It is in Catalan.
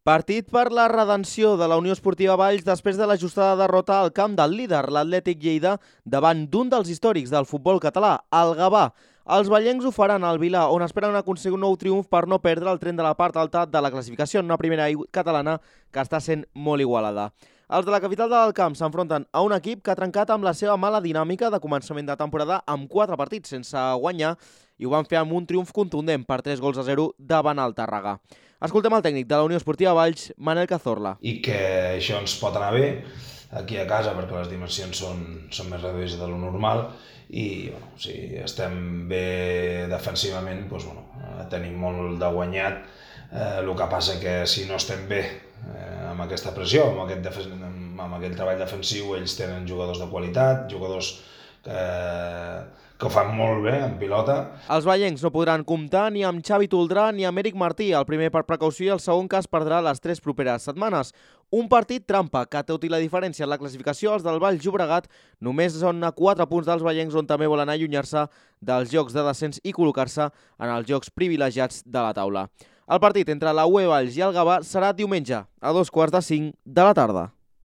Partit per la redenció de la Unió Esportiva Valls després de l'ajustada derrota al camp del líder, l'Atlètic Lleida, davant d'un dels històrics del futbol català, el Gavà. Els vallencs ho faran al Vilà, on esperen aconseguir un nou triomf per no perdre el tren de la part alta de la classificació en una primera catalana que està sent molt igualada. Els de la capital del camp s'enfronten a un equip que ha trencat amb la seva mala dinàmica de començament de temporada amb 4 partits sense guanyar i ho van fer amb un triomf contundent per 3-0 davant el Tàrrega. Escoltem el tècnic de la Unió Esportiva Valls, Manel Cazorla. I que això ens pot anar bé aquí a casa perquè les dimensions són més reduïdes de lo normal i si estem bé defensivament tenim molt de guanyat. El que passa que si no estem bé amb aquesta pressió, amb aquest treball defensiu, ells tenen jugadors de qualitat, jugadors que ho fan molt bé en pilota. Els vallencs no podran comptar ni amb Xavi Toldrà ni amb Eric Martí, el primer per precaució i el segon que es perdrà les 3 properes setmanes. Un partit trampa que, tot i la diferència en la classificació, els del Valls Llobregat només són a 4 punts dels vallencs, on també volen allunyar-se dels jocs de descens i col·locar-se en els jocs privilegiats de la taula. El partit entre la UE Valls i el Gavà serà diumenge a 15:45 de la tarda.